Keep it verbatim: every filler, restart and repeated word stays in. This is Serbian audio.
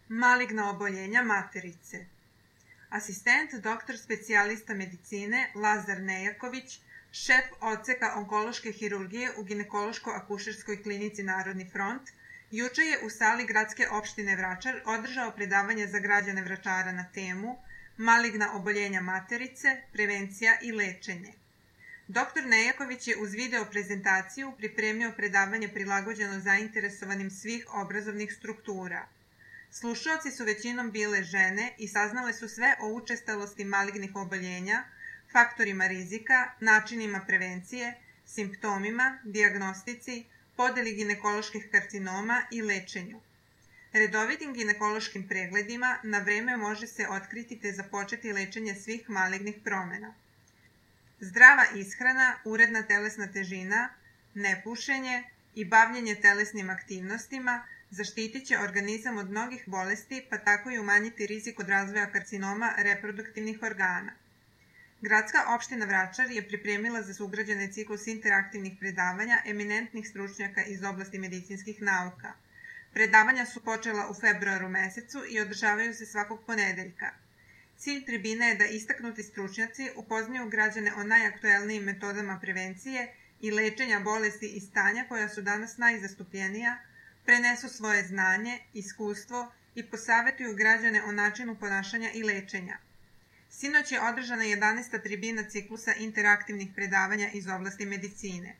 Maligna oboljenja materice. Asistent doktor specijalista medicine Lazar Nejaković, šef odseka onkološke hirurgije u ginekološko-akušerskoj klinici Narodni front, juče je u sali gradske opštine Vračar održao predavanje za građane Vračara na temu Maligna oboljenja materice, prevencija i lečenje. Doktor Nejaković je uz video prezentaciju pripremio predavanje prilagođeno zainteresovanim svih obrazovnih struktura. Slušaoci su većinom bile žene i saznale su sve o učestalosti malignih oboljenja, faktorima rizika, načinima prevencije, simptomima, dijagnostici, podeli ginekoloških karcinoma i lečenju. Redovitim ginekološkim pregledima na vreme može se otkriti te započeti lečenje svih malignih promena. Zdrava ishrana, uredna telesna težina, nepušenje i bavljenje telesnim aktivnostima zaštitit će organizam od mnogih bolesti, pa tako i umanjiti rizik od razvoja karcinoma reproduktivnih organa. Gradska opština Vračar je pripremila za sugrađane ciklus interaktivnih predavanja eminentnih stručnjaka iz oblasti medicinskih nauka. Predavanja su počela u februaru mesecu i održavaju se svakog ponedeljka. Cilj tribine je da istaknuti stručnjaci upoznaju građane o najaktuelnijim metodama prevencije i lečenja bolesti i stanja koja su danas najzastupljenija, prenesu svoje znanje, iskustvo i posavetuju građane o načinu ponašanja i lečenja. Sinoć je održana jedanaesta tribina ciklusa interaktivnih predavanja iz oblasti medicine.